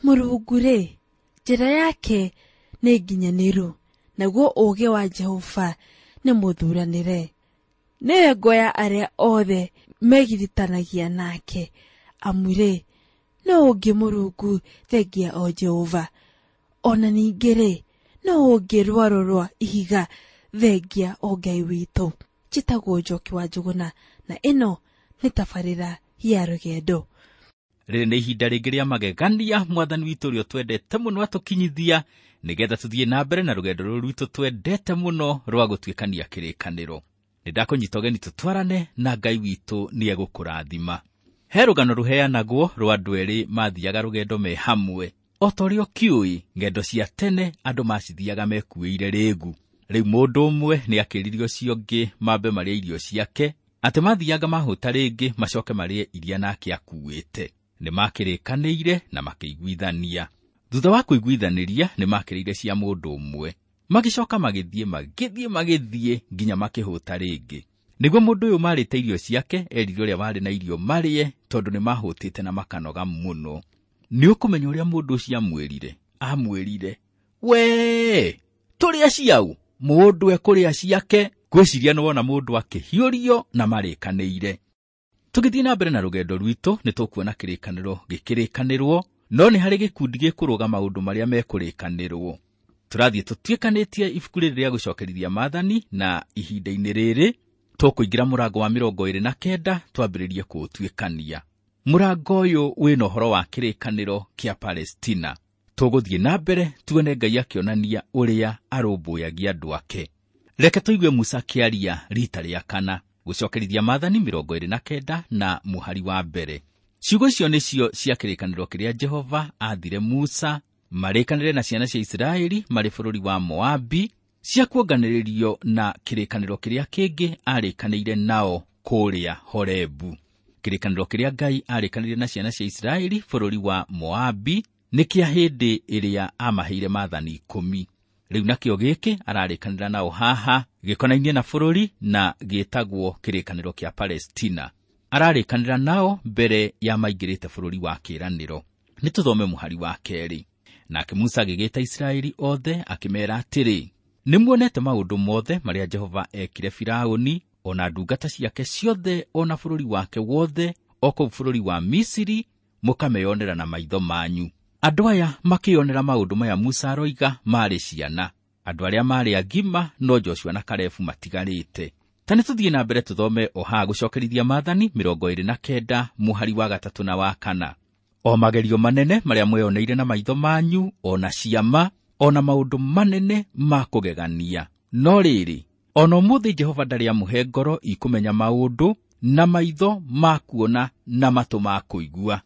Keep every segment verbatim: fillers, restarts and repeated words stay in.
Mũrungu-rĩ, njĩra yake nĩ nginyanĩru, naguo ũũgĩ wa Jehova nĩ mũthuranĩre. Nĩwe ngo ya arĩa othe megiritanagia nake, amu-rĩ, no ũngĩ Mũrungu thengia o Jehova. Ona ningĩ-rĩ, no ũngĩ rwaro rwa ihiga thengia o Ngai witũ. Njĩtagwo Njoki wa Njũgũna, na ĩno nĩ tabarĩra ya rũgendo. Rĩrĩ nĩ ihinda rĩngĩ rĩa magegania mwathani witũ ũrĩa twendete mũno atũkinyithia nĩgetha tũthiĩ na mbere na rũgendo rũrũ rwitũ twendete mũno rwa gũtuĩkania kĩrĩkanĩro. Nĩ ndakũnyita ũgeni tũtwarane na Ngai witũ nĩ egũkũrathima. He rũgano rũheanagwo rwa andũ erĩ mathiaga rũgendo me hamwe. O ta ũrĩa ũkĩũĩ, ng'endo cia tene andũ macithiaga mekuĩire rĩgu. Rĩu mũndũ ũmwe nĩ akĩrire ũcio ũngĩ mambe marĩe irio ciake, atĩ mathianga mahũta rĩngĩ macoke marĩe iria nake akuĩte. Nĩ makĩrĩkanĩire na makĩiguithania. Thutha wa kũiguithanĩria nĩ makĩrĩire cia mũndũ ũmwe. Magĩcoka magĩthiĩ magĩthiĩ magĩthiĩ nginya makĩhũta rĩngĩ. Nĩguo mũndũ ũyũ marĩte irio ciake erire ũrĩa warĩ na irio marĩe tondũ nĩ mahũtĩte na makanoga mũno. Nĩ ũkũmenya ũrĩa mũndũ ũcio amwĩrire? Amwĩrire, "Wee, tũrĩa ciau, mũndũ ekũrĩa ciake." Ngwĩciria nĩ wona mũndũ akĩhiũrio na marĩkanĩire. Tũgĩthiĩ na mbere na rũgendo rwitũ nĩ tũkuona kĩrĩkanĩro gĩkĩrĩkanĩrwo, no nĩ harĩ gĩkundi gĩkũrũga maũndũ marĩa mekũrĩkanĩrwo. Tũrathiĩ tũtuĩkanĩtie ibuku rĩrĩ rĩa gũcokerithia maathani, na ihinda-inĩ rĩrĩ tũkũingĩra mũrango wa mĩrongo ĩrĩ na kenda twambĩrĩrie kũũtuĩkania. Mũrango ũyũ wĩna ũhoro wa kĩrĩkanĩro kĩa Palestina. Tũgũthiĩ na mbere tuone Ngai akĩonania ũrĩa arũmbũyagia andũ ake. Reke tũigue Musa akĩaria rita rĩa kana, gũcokerithia maathani mĩrongo ĩrĩ na kenda na mũhari wa mbere. Ciugo icio nĩcio cia kĩrĩkanĩro kĩrĩa Jehova aathire Musa marĩkanĩre na ciana cia Isiraeli marĩ bũrũri wa Moabi, cia kuonganĩrĩrio na kĩrĩkanĩro kĩrĩa kĩngĩ arĩkanĩire nao kũrĩa Horebu. Kĩrĩkanĩro kĩrĩa Ngai arĩkanĩire na ciana cia Isiraeli bũrũri wa Moabi nĩ kĩa hĩndĩ ĩrĩa amaheire maathani ikũmi. Rĩu nakĩo gĩkĩ ararĩkanĩra nao haha gĩkonainie na bũrũri na gĩtagwo kĩrĩkanĩro kĩa Palestina. Ararĩkanĩra nao mbere ya maingĩrĩte bũrũri wa kĩĩranĩro. Nĩ tũthome mũhari wa kerĩ. Nake Musa agĩgĩta Isiraeli othe akĩmeera atĩrĩ, nĩmuonete maũndũ mothe marĩa Jehova ekire Firaũni, ona ndungata ciake ciothe, ona bũrũri wake wothe, o kũu bũrũri wa Misiri, mũkameyonera na maitho manyu. Andũ aya makĩonera maũndũ maya Musa aroiga marĩ ciana. Andũ arĩa marĩ agima no Joshua na Kalebu matigarĩte. Ta nĩ tũthiĩ na mbere tũthome o haha gũcokerithia maathani mĩrongo ĩrĩ na kenda mũhari wa gatatũ na wa kana. O magerio manene marĩa mweyoneire na maitho manyu, ona ciama, ona maũndũ manene ma kũgegania. No rĩrĩ, ona ũmũthĩ Jehova ndarĩ amũhe ngoro ikũmenya maũndũ, na maitho ma kuona na matũ ma kũigua.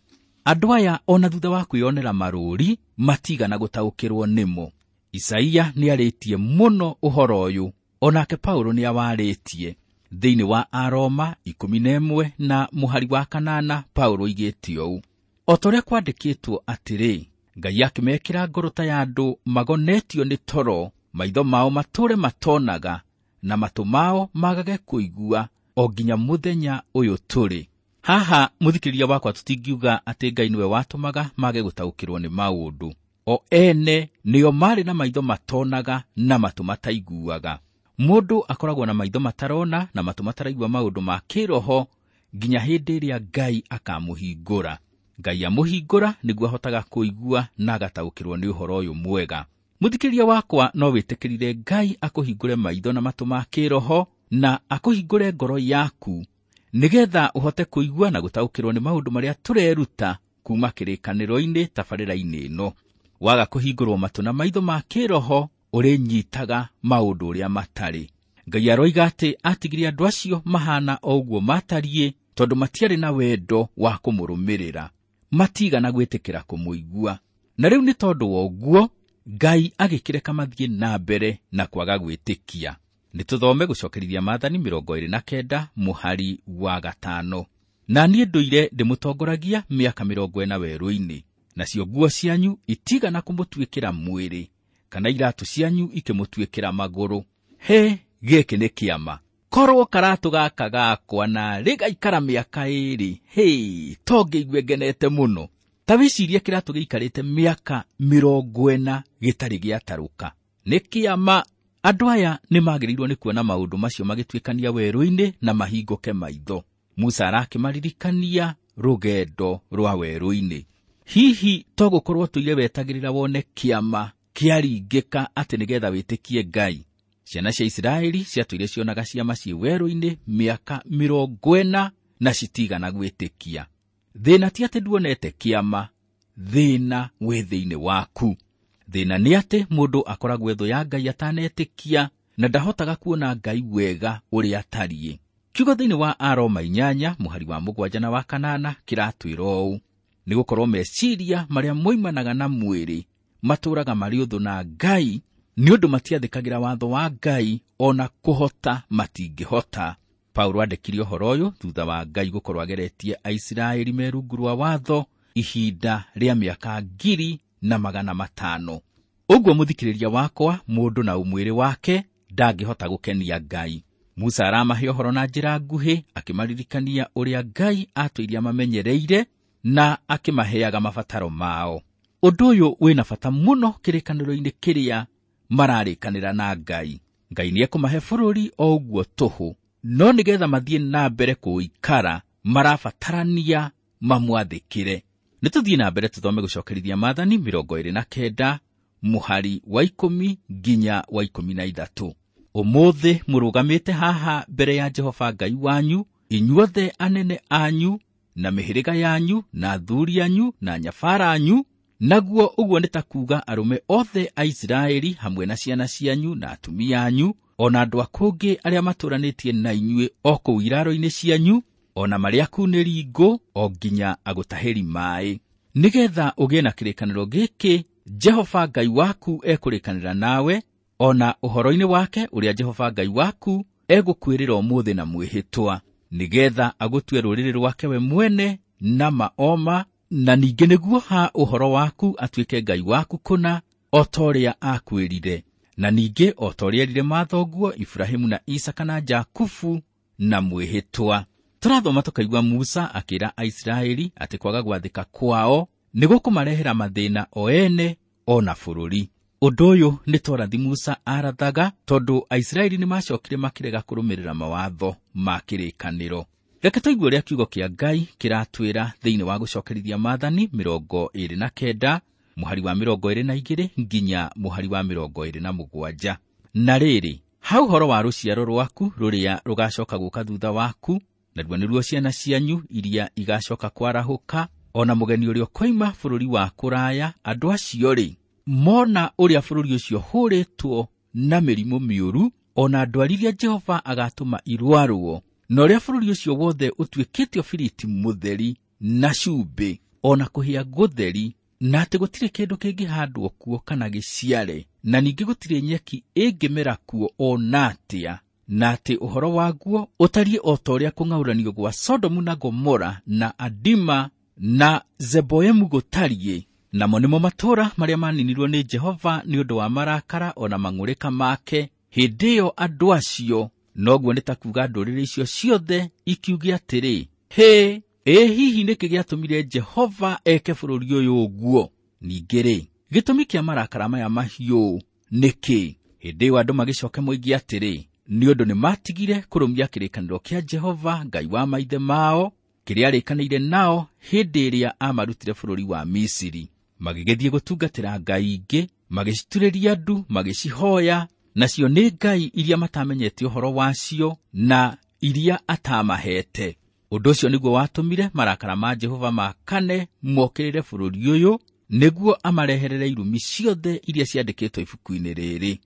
Andũ aya ona thutha wa kwĩyonera marũũri matigana gũtaũkĩrwo nĩmo. Isaia nĩarĩtie mũno ũhoro ũyũ, onake Paulo nĩawarĩtie. Thĩinĩ wa Aroma ikũmi na ĩmwe na mũhari wa kanana Paulo oigĩte ũũ, o ta ũrĩa kwandĩkĩtwo atĩrĩ, Ngai akĩmekĩra ngoro ta ya andũ magonetio nĩ toro, maitho mao matũũre matonaga, na matũ mao magage kũigua, o nginya mũthenya ũyũ tũrĩ. Haha mũthikĩrĩria wakwa tũtingiuga atĩ Ngai nĩwe watũmaga mage gũtaũkĩrwo nĩ maũndũ. O ene nĩo marĩ na maitho matonaga na matũ mataiguaga. Mũndũ akoragwo na maitho matarona na matũ mataraigua maũndũ ma kĩroho nginya hĩndĩ ĩrĩa Ngai akamũhingũra. Ngai amũhingũra nĩguo ahotaga kũigua na agataũkĩrwo nĩ ũhoro ũyũ mwega. Mũthikĩrĩria wakwa no wĩtĩkĩrire Ngai akũhingũre maitho na matũ ma kĩroho na akũhingũre ngoro yaku nĩgetha ũhote kũigua na gũtaũkĩrwo nĩ maũndũ marĩa tũreruta kuma kĩrĩkanĩro-inĩ tabarĩra-inĩ ĩno. Waga kũhingũrwo matũ na maitho ma kĩroho ũrĩnyitaga maũndũ ũrĩa matarĩ. Ngai aroiga atĩ atigire andũ acio mahana o ũguo matariĩ tondũ matiarĩ na wendo wa kũmũrũmĩrĩra, matigana gwĩtĩkĩra kũmũigua. Na rĩu nĩ tondũ wa ũguo Ngai agĩkĩreka mathiĩ na mbere na kwaga gwĩtĩkia. Nĩ tũthome gũcokerithia maathani mĩrongo ĩrĩ na kenda mũhari wa gatano. Na niĩ ndũire ndĩmũtongoragia mĩaka mĩrongo ĩna werũ-inĩ, nacio nguo cianyu itigana kũmũtuĩkĩra mwĩrĩ, kana iratũ cianyu ikĩmũtuĩkĩra magũrũ. He, gĩkĩ nĩ kĩama. Korwo karatũ gaka gakwa na rĩgaikara mĩaka ĩrĩ, hĩ, to ngĩigue ngenete mũno. Ta wĩcirie kĩratũ gĩikarĩte mĩaka mĩrongo ĩna gĩtarĩ gĩatarũka. Nĩ kĩama. Andũ aya nĩ magĩrĩirwo nĩ kuona maũndũ macio magĩtuĩkania werũ-inĩ na mahingũke maitho. Musa arakĩmaririkania rũgendo rwa werũ-inĩ. Hihi to gũkorwo tũire wetagĩrĩra wone kĩama kĩaringĩka atĩ nĩgetha wĩtĩkie Ngai. Ciana cia Isiraeli ciatũire cionaga ciama ciĩ werũ-inĩ mĩaka mĩrongo ĩna na citigana gwĩtĩkia. Thĩna ti atĩ nduonete kĩama, thĩna wĩ thĩinĩ waku. Thĩna nĩ atĩ mũndũ akoragwo ethũ ya Ngai atanetĩkia na ndahotaga kuona Ngai wega ũrĩa atariĩ. Kiugo thĩinĩ wa Aroma inyanya mũhari wa mũgwanja na wa kanana kĩratwĩra ũũ: nĩgũkorwo meciria marĩa moimanaga na mwĩrĩ matũũraga marĩ ũthũ na Ngai, nĩ ũndũ matiathĩkagĩra watho wa Ngai ona kũhota matingĩhota. Paulo andĩkire ũhoro ũyũ thutha wa Ngai gũkorwo ageretie Aisiraeli me rungu rwa watho ihinda rĩa mĩaka ngiri na magana matano. Ũguo mũthikĩrĩria wakwa, mũndũ na ũmwĩrĩ wake ndangĩhota gũkenia Ngai. Musa aramahe ũhoro na njĩra nguhĩ, akĩmaririkania ũrĩa Ngai atũirie mamenyereire na akĩmaheaga mabataro mao. Ũndũ ũyũ wĩna bata mũno kĩrĩkanĩro-inĩ kĩrĩa mararĩkanĩra na Ngai. Ngai nĩekũmahe bũrũri o ũguo tũhũ, no nĩgetha mathiĩ na mbere kũũikara marabatarania mamwathĩkĩre. Nĩtũthiĩ na mbere tũthome gũcokerithia maathani mĩrongo ĩrĩ na kenda mũhari wa ikũmi nginya wa ikũmi na ithatũ. Ũmũthĩ mũrũgamĩte haha mbere ya Jehova Ngai wanyu, inyuothe anene anyu na mĩhĩrĩga yanyu na athuri anyu na nyabara anyu, naguo ũguo nĩ ta kuuga arũme othe a Isiraeli hamwe na ciana cianyu na atumia anyu, o na andũ a kũngĩ arĩa matũũranĩtie na inyuĩ o kũu iraro-inĩ cianyu, o na marĩa akunĩri ngũ o nginya agũtahĩri maaĩ, nĩgetha ũgĩe na kĩrĩkanĩro gĩkĩ Jehova Ngai waku ekũrĩkanĩra nawe, o na ũhoro-inĩ wake ũrĩa Jehova Ngai waku egũkwĩrĩra ũmũthĩ na mwĩhĩtwa, nĩgetha agũtue rũrĩrĩ rwake we mwene na maoma, na ningĩ nĩguo ha ũhoro waku atuĩke Ngai waku kũna, o ta ũrĩa akwĩrire, na ningĩ o ta ũrĩa erire mathoguo Iburahĩmu na Isaka na Jakubu na mwĩhĩtwa. Tũrathoma tũkaigua Musa akĩra Aisiraeli atĩ kwaga gwathĩka kwao nĩgũkũmarehera mathĩna o ene o na bũrũri. Ũndũ ũyũ nĩ torathi Musa arathaga, tondũ Aisiraeli nĩmacokire makĩrega kũrũmĩrĩra mawatho ma kĩrĩkanĩro. Reke tũigue ũrĩa kiugo kĩa Ngai kĩratwĩra thĩinĩ wa gũcokerithia maathani mĩrongo ĩrĩ na kenda mũhari wa mĩrongo ĩrĩ na igĩrĩ nginya mũhari wa mĩrongo ĩrĩ na mũgwanja. Na rĩrĩ, ha ũhoro wa rũciaro rwaku rũrĩa rũgacoka gũka thutha waku, naruo nĩruo ciana cianyu iria igacoka kwarahũka, o na mũgeni ũrĩa ũkoima bũrũri wa kũraya, andũ acio-rĩ, mona ũrĩa bũrũri ũcio hũrĩtwo na mĩrimũ mĩũru, o na ndwari iria Jehova agatũma irwarwo, na ũrĩa bũrũri ũcio wothe ũtuĩkĩte ũbiriti mũtheri na cumbĩ, o na kũhĩa gũtheri, na atĩ gũtirĩ kĩndũ kĩngĩhandwo kuo kana gĩciare, na ningĩ gũtirĩ nyeki ĩngĩmera kuo o na atĩa, na atĩ ũhoro waguo ũtariĩ o ta ũrĩa kũng'aũranio gwa Sodomu na Gomora na Adima na Zeboimu gũtariĩ, namo nĩmo matũũra marĩa maninirwo nĩ Jehova nĩ ũndũ wa marakara o na mang'ũrĩka make. Hĩndĩ ĩyo andũ acio, noguo nĩ ta kuuga ndũrĩrĩ icio ciothe, ikiuge atĩrĩ, hĩ, ĩ hihi nĩkĩ gĩatũmire Jehova eke bũrũri ũyũ ũguo? Ningĩ-rĩ, gĩtũmi kĩa marakara maya mahiũ nĩkĩ? Hĩndĩ ĩyo andũ magĩcoke moige atĩrĩ, nĩ ũndũ nĩmatigire kũrũmia kĩrĩkanĩro kĩa Jehova Ngai wa maithe mao, kĩrĩa arĩkanĩire nao hĩndĩ ĩrĩa amarutire bũrũri wa Misiri. Magĩgĩthiĩ gũtungatĩra ngai ingĩ, magĩciturĩria ndu, magĩcihoya, nacio nĩ ngai iria matamenyete ũhoro wacio na iria atamahete. Ũndũ ũcio nĩguo watũmire marakara ma Jehova makane mokĩrĩre bũrũri ũyũ, nĩguo amareherere irumi ciothe iria ciandĩkĩtwo ibuku-inĩ rĩrĩ.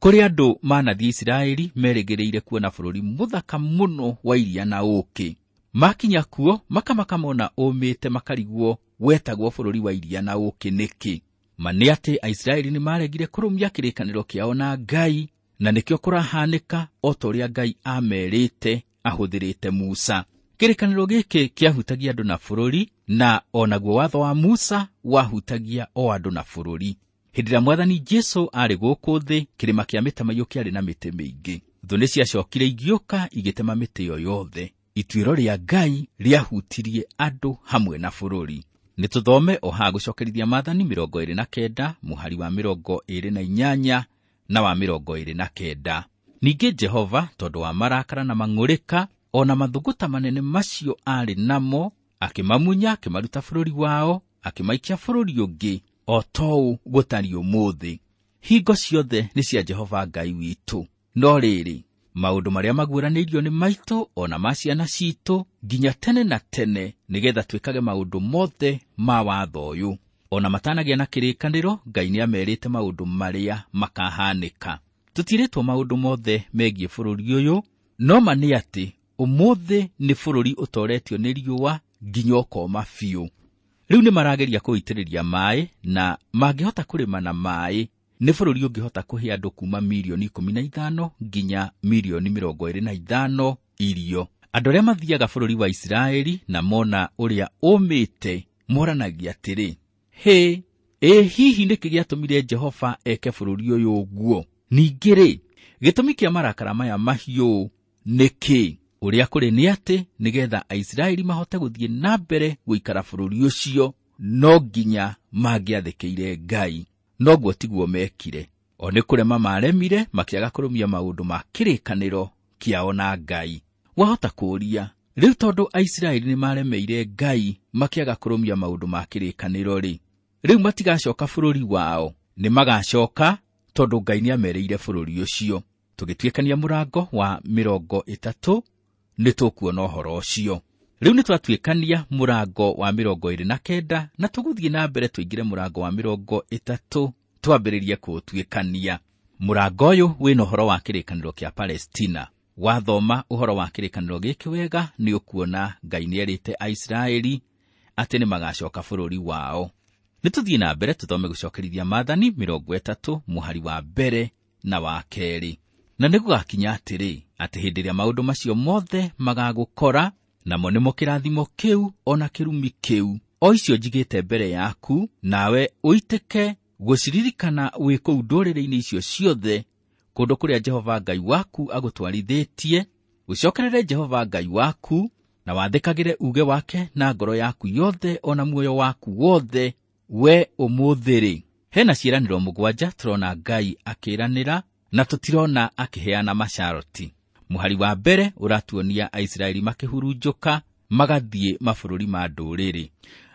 Kũrĩ andũ manathiĩ Isiraeli merĩgĩrĩire kuona bũrũri mũthaka mũno wa iria na ũũkĩ. Makinya kuo makamaka mona ũmĩte makarigwo wetagwo bũrũri wa iria na ũũkĩ nĩkĩ. Ma nĩ atĩ Aisiraeli nĩmaregire kũrũmia kĩrĩkanĩro kĩao na Ngai, na nĩkĩo kũrahanĩka o ta ũrĩa Ngai amerĩte ahũthĩrĩte Musa. Kĩrĩkanĩro gĩkĩ kĩahutagia andũ na bũrũri, na o naguo watho wa Musa wahutagia o andũ na bũrũri. Hĩndĩ ĩrĩa Mwathani Jesũ aarĩ gũkũ thĩ, kĩrĩma kĩa mĩtamaiyũ kĩarĩ na mĩtĩ mĩingĩ. Thũ nĩciacokire igĩũka igĩtema mĩtĩ ĩyo yothe. Ituĩro rĩa Ngai rĩahutirie andũ hamwe na bũrũri. Nĩ tũthome o haha gũcokerithia maathani mĩrongo ĩrĩ na kenda mũhari wa mĩrongo ĩrĩ na inyanya na wa mĩrongo ĩrĩ na kenda. Ningĩ Jehova tondũ wa marakara na mang'ũrĩka o na mathũgũta manene macio aarĩ namo, akĩmamunya akĩmaruta bũrũri wao, akĩmaikia bũrũri ũngĩ o tou gũtariĩ ũmũthĩ. Hingo ciothe nĩ cia Jehova Ngai witũ. No rĩrĩ, maũndũ marĩa maguũranĩirio nĩ maitũ o na ma ciana citũ nginya tene na tene, nĩgetha twĩkage maũndũ mothe ma watho ũyũ. O na matanagĩa na kĩrĩkanĩro, Ngai nĩamerĩte maũndũ marĩa makahanĩka. Tũtirĩtwo maũndũ mothe megiĩ bũrũri ũyũ, no ma nĩ atĩ ũmũthĩ nĩ bũrũri ũtoretio nĩ riũa nginya ũkoma biũ. Rĩu nĩ marageria kũitĩrĩria maĩ, na mangĩhota kũrĩma na maĩ nĩ bũrũri ũngĩhota kũhe andũ kuma mirioni ikũmi na ithano nginya mirioni mĩrongo ĩrĩ na ithano irio. Andũ arĩa mathiaga bũrũri wa Isiraeli na mona ũrĩa ũmĩte moranagia atĩrĩ, hĩ, ĩ hihi nĩkĩ gĩatũmire Jehova eke bũrũri ũyũ ũguo? Ningĩ rĩ, gĩtũmi kĩa marakara maya mahiũ nĩ kĩ? Ũrĩa kũrĩ nĩ atĩ nĩgetha Aisiraeli mahote gũthiĩ na mbere gũikara bũrũri ũcio, no nginya mangĩathĩkĩire Ngai. Noguo tiguo mekire. O nĩ kũrema maremire, makĩaga kũrũmia maũndũ ma kĩrĩkanĩro kĩao na Ngai. Wahota kũũria, rĩu tondũ Aisiraeli nĩ maremeire Ngai makĩaga kũrũmia maũndũ ma kĩrĩkanĩro rĩ, rĩu matigacoka bũrũri wao? Nĩ magacoka tondũ Ngai nĩamerĩire bũrũri ũcio. Tũgĩtuĩkania mũrango wa mĩrongo ĩtatũ nĩ tũkuona ũhoro ũcio. Rĩu nĩ twatuĩkania mũrango wa mĩrongo ĩrĩ na kenda na tũgũthiĩ na mbere tũingĩre mũrango wa mĩrongo ĩtatũ twambĩrĩrie kũũtuĩkania. Mũrango ũyũ wĩna ũhoro wa kĩrĩkanĩro kĩa Palestina. Wathoma ũhoro wa kĩrĩkanĩro gĩkĩ wega nĩ ũkuona Ngai nĩerĩte Aisiraeli atĩ nĩ magacoka bũrũri wao. Nĩ tũthiĩ na mbere tũthome gũcokerithia maathani mĩrongo ĩtatũ mũhari wa mbere na wa kerĩ. Na nĩ gũgakinya atĩrĩ, atĩ hĩndĩ ĩrĩa maũndũ macio mothe magagũkora, namo nĩmo kĩrathimo kĩu o na kĩrumi kĩu, o icio njigĩte mbere yaku, nawe ũitĩke gũciririkana wĩ kũu ndũrĩrĩ-inĩ icio ciothe, kũndũ kũrĩa Jehova Ngai waku agũtwarithĩtie, ũcokerere Jehova Ngai waku, na wathĩkagĩre uuge wake na ngoro yaku yothe o na muoyo waku wothe, we ũmũthĩ rĩ. Hena ciĩranĩro mũgwanja tũrona Ngai akĩĩranĩra na tũtirona akĩheana masharti. Mũhari wa mbere ũratuonia Aisiraeli makĩhurunjũka magathiĩ mabũrũri ma ndũrĩrĩ.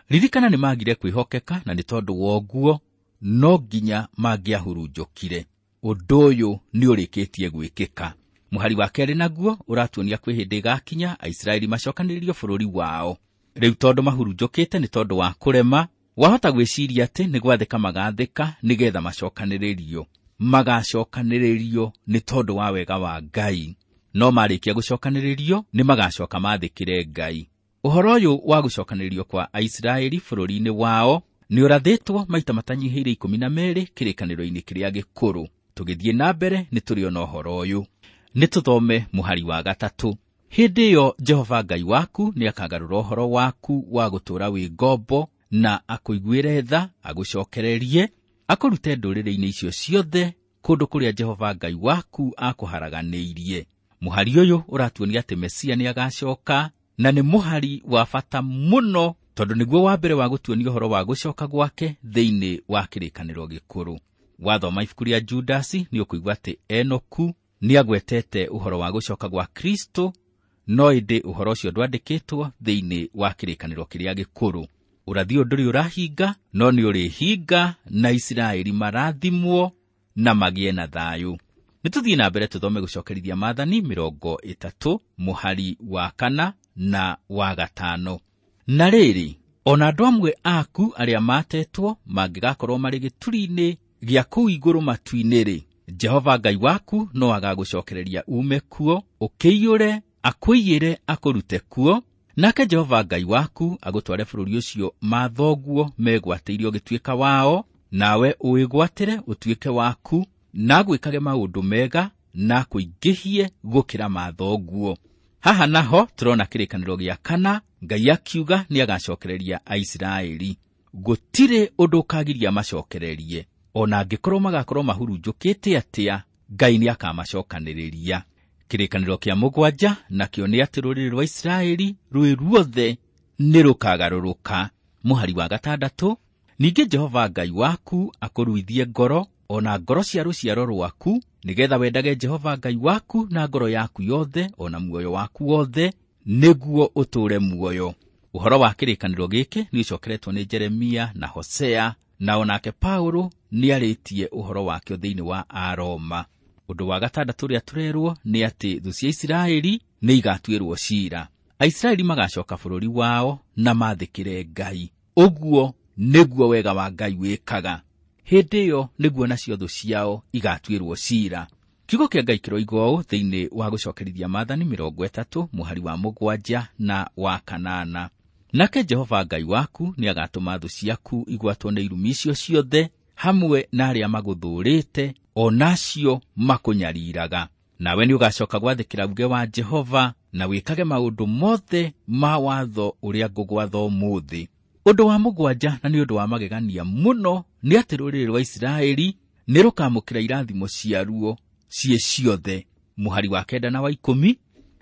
Ririkana nĩ magire kwĩhokeka, na nĩ tondũ wa ũguo no nginya mangĩahurunjũkire. Ũndũ ũyũ nĩ ũrĩkĩtie gwĩkĩka. Mũhari wa kerĩ naguo ũratuonia kwĩ hĩndĩ ĩgakinya Aisiraeli macokanĩrĩrio bũrũri wao. Rĩu tondũ mahurunjũkĩte nĩ tondũ wa kũrema, wahota gwĩciria atĩ nĩ gwathĩka magathĩka nĩgetha macokanĩrĩrio. Magacokanĩrĩrio nĩ tondũ wa wega wa Ngai. No marĩkia gũcokanĩrĩrio nĩ magacoka mathĩkĩre Ngai. Ũhoro ũyũ wa gũcokanĩrĩrio kwa Aisiraeli bũrũri-inĩ wao nĩ ũrathĩtwo maita matanyihĩire ikũmi na merĩ kĩrĩkanĩro-inĩ kĩrĩa gĩkũrũ. Tũgĩthiĩ na mbere nĩ tũrĩona ũhoro ũyũ. Nĩ tũthome mũhari wa gatatũ. Hĩndĩ ĩyo Jehova Ngai waku nĩakagarũra ũhoro waku wa gũtũũra wĩ ngombo, na akũiguĩre tha, agũcokererie, akũrute ndũrĩrĩ-inĩ icio ciothe kũndũ kũrĩa Jehova Ngai waku akũharaganĩirie. Mũhari ũyũ ũratuonia atĩ Mesia nĩagacoka, na nĩ mũhari wa bata mũno tondũ nĩguo wa mbere wa gũtuonia ũhoro wa gũcoka gwake thĩinĩ wa kĩrĩkanĩro gĩkũrũ. Wathoma ibuku rĩa Judasi nĩ ũkũigua atĩ Enoku nĩagwetete ũhoro wa gũcoka gwa Kristo, no ĩndĩ ũhoro ũcio ndwandĩkĩtwo thĩinĩ wa kĩrĩkanĩro kĩrĩa gĩkũrũ. Ũrathi ũyũ ndũrĩ ũrahinga, no nĩ ũrĩhinga na Isiraeli marathimwo na magĩe na thayũ. Nĩ tũthiĩ na mbere tũthome gũcokerithia maathani mĩrongo ĩtatũ mũhari wa kana na wa gatano. Na rĩrĩ, ona andũ amwe aku arĩa matetwo mangĩgakorwo marĩ gĩturi-inĩ gĩa kũu igũrũ matu-inĩ rĩ, Jehova Ngai waku no agagũcokereria uume kuo, ũkĩiyũre, akũiyĩre, akũrute kuo, nake Jehova Ngai waku agũtware bũrũri ũcio mathoguo megwatĩire ũgĩtuĩka wao, nawe ũwĩgwatĩre ũtuĩke waku, na agwĩkage maũndũ mega na akũingĩhie gũkĩra mathoguo. Haha naho tũrona kĩrĩkanĩro gĩa kana, Ngai akiuga nĩagacokereria Aisiraeli. Gũtirĩ ũndũ ũkagiria macokererie, ona angĩkorwo magakorwo mahurunjũkĩte atĩa, Ngai nĩakamacokanĩrĩria. Kĩrĩkanĩro kĩa mũgwanja nakĩo nĩ atĩ rũrĩrĩ rwa Isiraeli rwĩ ruothe nĩ rũkagarũrũka. Mũhari wa gatandatũ, ningĩ Jehova Ngai waku akũruithie ngoro o na ngoro cia rũciaro rwaku, nĩgetha wendage Jehova Ngai waku na ngoro yaku yothe o na muoyo waku wothe, nĩguo ũtũũre muoyo. Ũhoro wa kĩrĩkanĩro gĩkĩ nĩ ũcokeretwo nĩ Jeremia na Hosea, na onake Paulo nĩarĩtie ũhoro wakĩo thĩinĩ wa Aroma. Ũndũ wa gatandatũ ũrĩa tũrerwo nĩ atĩ thũ cia Isiraeli nĩ igatuĩrwo ciira. Aisiraeli magacoka bũrũri wao na mathĩkĩre Ngai. Ũguo nĩguo wega wa Ngai wĩkaga. Hĩndĩ ĩyo nĩguo nacio thũ ciao igatuĩrwo ciira. Kiugo kĩa Ngai kĩroiga ũũ thĩinĩ wa gũcokerithia maathani mĩrongo ĩtatũ mũhari wa mũgwanja na wa kanana. Nake Jehova Ngai waku nĩagatũma thũ ciaku igwatwo nĩ irumi icio ciothe hamwe na arĩa magũthũũrĩte o nacio makũnyariraga. Nawe nĩũgacoka gwathĩkĩra uge wa Jehova na wĩkage maũndũ mothe ma watho ũrĩa ngũgwatha ũmũthĩ. Ũndũ wa mũgwanja na nĩ ũndũ wa magegania mũno nĩ atĩ rũrĩrĩ rwa Isiraeli nĩ rũkamũkĩra irathimo ciaruo ciĩ ciothe. Mũhari wa kenda na wa ikũmi,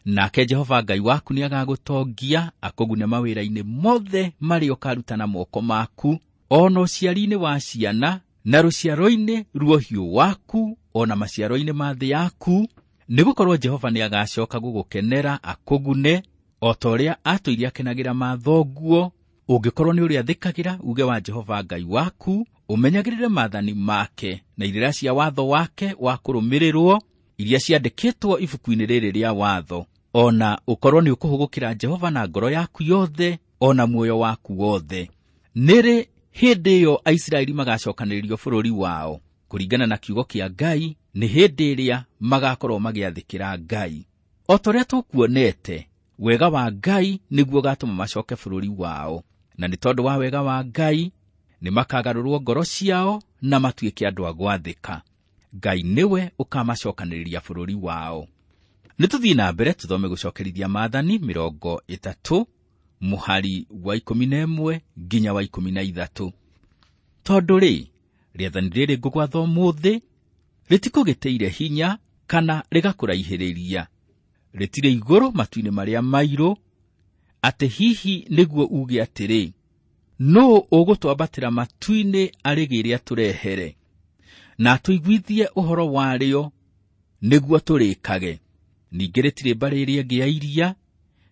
nake Jehova Ngai waku nĩagagũtongia akũgune mawĩra-inĩ mothe marĩa ũkaruta na moko maku, o na ũciari-inĩ wa ciana na rũciaro-inĩ rwa ũhiũ waku, o na maciaro-inĩ ma thĩ yaku, nĩgũkorwo Jehova nĩagacoka gũgũkenera akũgune o ta ũrĩa atũire akenagĩra mathoguo, ũngĩkorwo nĩ ũrĩathĩkagĩra uge wa Jehova Ngai waku, ũmenyagĩrĩre maathani make na irĩra cia watho wake wa kũrũmĩrĩrwo iria ciandĩkĩtwo ibuku-inĩ rĩrĩ rĩa watho, o na ũkorwo nĩ ũkũhũgũkĩra Jehova na ngoro yaku yothe o na muoyo waku wothe. Nĩrĩ hĩndĩ ĩyo Aisiraeli magacokanĩrĩrio bũrũri wao kũringana na kiugo kĩa Ngai, nĩ hĩndĩ ĩrĩa magakorwo magĩathĩkĩra Ngai. O ta ũrĩa tũkuonete, wega wa Ngai nĩguo ũgatũma macoke bũrũri wao, na nĩ tondũ wa wega wa Ngai nĩ makagarũrwo ngoro ciao na matuĩke andũ a gwathĩka. Ngai nĩwe ũkamacokanĩrĩria bũrũri wao. Nĩ tũthiĩ na mbere tũthome gũcokerithia maathani mĩrongo ĩtatũ mũhari wa ikũmi na ĩmwe nginya wa ikũmi na ithatũ. Tondũ rĩ, rĩathani rĩrĩ ngũgwatha ũmũthĩ rĩtikũgĩtĩire hinya kana rĩgakũraihĩrĩria, rĩtirĩ igũrũ matu-inĩ marĩa mairũ, atĩ hihi nĩguo uge atĩrĩ, nũũ ũgũtwambatĩra matu-inĩ arĩgĩre atũrehere na atũiguithie ũhoro warĩo nĩguo tũrĩkage. Ningĩ rĩtirĩ mbarĩ ĩrĩa ĩngĩ ya iria,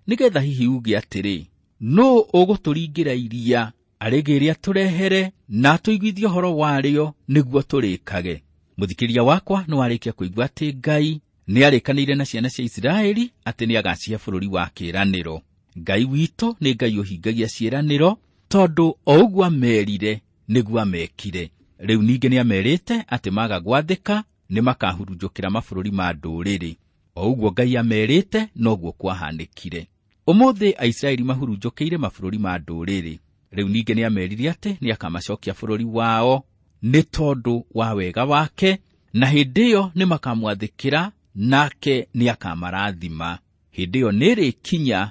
nĩgetha hihi uge atĩrĩ, nũũ ũgũtũringĩra iria arĩgĩre atũrehere na atũiguithie ũhoro warĩo nĩguo tũrĩkage. Mũthikĩria wakwa nĩwarĩkia kũigua atĩ Ngai nĩarĩkanĩire na ciana cia Isiraeli atĩ nĩagacihe bũrũri wa kĩĩranĩro. Ngai witũ nĩ Ngai ũhingagia ciĩranĩro, tondũ o ũguo amerire nĩguo amekire. Rĩu ningĩ nĩamerĩte atĩ maga gwathĩka nĩmakahurunjũkĩra mabũrũri ma ndũrĩrĩ. O ũguo Ngai amerite noguo kwahanĩkire. Ũmũthĩ Aisiraeli mahurunjũkĩire mabũrũri ma ndũrĩrĩ. Rĩu ningĩ nĩamerire atĩ nĩakamacokia bũrũri wao nĩ tondũ wa wega wake, na hĩndĩ ĩyo nĩmakamwathĩkĩra nake nĩakamarathima. Hĩndĩ ĩyo nĩrĩkinya,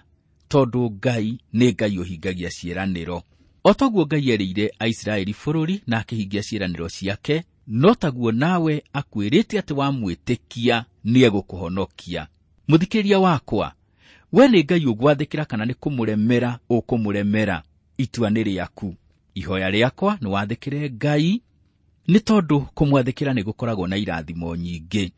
tondũ Ngai nĩ Ngai ũhingagia ciĩranĩro. O taguo Ngai erĩire Aisiraeli bũrũri na akĩhingia ciĩranĩro ciake, no taguo nawe akwĩrĩte atĩ wamwĩtĩkia nĩegũkũhonokia. Mũthikĩrĩria wakwa, we nĩ Ngai ũgwathĩkĩra kana nĩ kũmũremera ũkũmũremera? Itua nĩ rĩaku. Ihoya rĩakwa nĩ wathĩkĩre Ngai, nĩ tondũ kũmwathĩkĩra nĩ gũkoragwo na irathimo nyingĩ.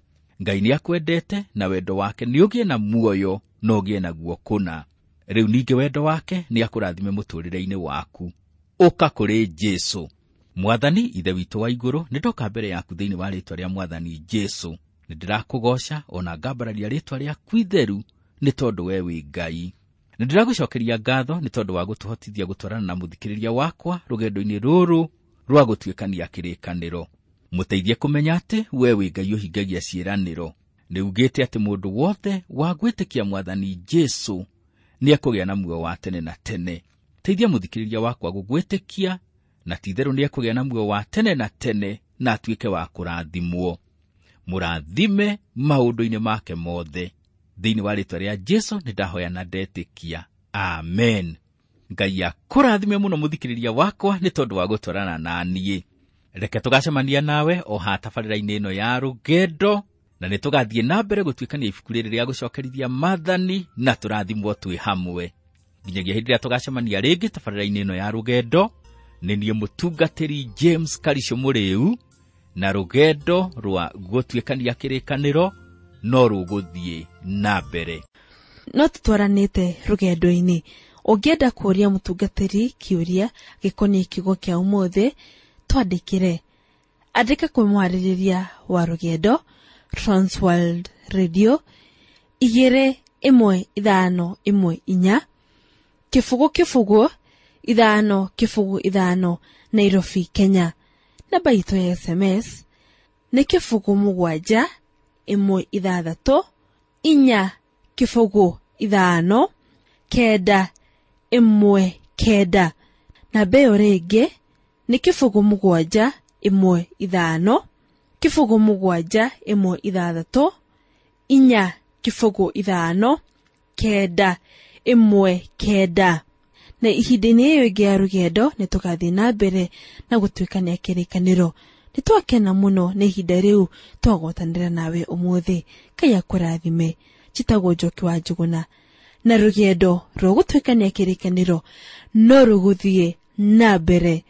Ngai nĩakwendete na wendo wake nĩ ũgĩe na muoyo na ũgĩe naguo kũna. Rĩu ningĩ wendo wake nĩakũrathime mũtũũrĩre-inĩ waku. Ũka kũrĩ Jesũ. Mwathani Ithe witũ wa igũrũ, nĩndoka mbere yaku thĩinĩ wa rĩĩtwa rĩa Mwathani Jesũ. Nĩndĩrakũgooca ona ngambararia rĩĩtwa rĩaku itheru, nĩ tondũ we wĩ Ngai. Nĩndĩragũcokeria ngatho nĩ tondũ wa gũtũhotithia gũtwarana na mũthikĩrĩria wakwa rũgendo-inĩ rũrũ rwa gũtuĩkania kĩrĩkanĩro. Mũteithie kũmenya atĩ we wĩ Ngai ũhingagia ciĩranĩro. Nĩugĩte atĩ mũndũ wothe wa gwĩtĩkia Mwathani Jesũ nĩekũgĩa na muoyo wa tene na tene. Teithia mũthikĩrĩria wakwa gũgwĩtĩkia, na ti-itherũ nĩekũgĩa na muoyo wa tene na tene na atuĩke wa kũrathimwo. Mũrathime maũndũ-inĩ make mothe. Thĩinĩ wa rĩĩtwa rĩa Jesũ nĩndahoya na ndetĩkia. Amen. Ngai akũrathime mũno mũthikĩrĩria wakwa nĩ tondũ wa gũtwarana na niĩ. Reke tũgacemania nawe o ha tabarĩra-inĩ ĩno ya rũgendo, na nĩ tũgathiĩ na mbere gũtuĩkania ibuku rĩrĩ rĩa gũcokerithia maathani na tũrathimwo twĩ hamwe. Nginyagia hĩndĩ ĩrĩa tũgacemania rĩngĩ tabarĩra-inĩ ĩno ya rũgendo, nĩ niĩ mũtungatĩri James Karisho Mũrĩu, na rũgendo rwa gũtuĩkania kĩrĩkanĩro no rũgũthiĩ na mbere. No tũtwaranĩte rũgendo-inĩ. Ũngĩenda kũũria mũtungatĩri kĩũria gĩkoniĩ kiugo kĩa ũmũthĩ, twandĩkĩre. Andĩka kwĩ mwarĩrĩria wa rũgendo, Transworld Radio, igĩrĩ ĩmwe ithano ĩmwe inya, kĩbũgũ kĩbũgũ ithano kĩbũgũ ithano, Nairobi, Kenya. Namba itũ ya S M S nĩ kĩbũgũ mũgwanja ĩmwe ithathatũ inya kĩbũgũ ithano kenda ĩmwe kenda. Namba ĩyo rĩngĩ nĩ kĩbũgũ mũgwanja ĩmwe ithano kĩbũgũ mũgwanja ĩmwe ithathatũ inya kĩbũgũ ithano kenda ĩmwe kenda. Na ihinda-inĩ ĩyo ĩngĩ ya rũgendo nĩ tũgathiĩ na mbere na gũtuĩkania kĩrĩkanĩro. Nĩ twakena mũno nĩ ihinda rĩu twagwatanĩra nawe ũmũthĩ. Ngai akũrathime. Njĩtagwo Njoki wa Njũgũna, na rũgendo rwa gũtuĩkania kĩrĩkanĩro no rũgũthiĩ na mbere.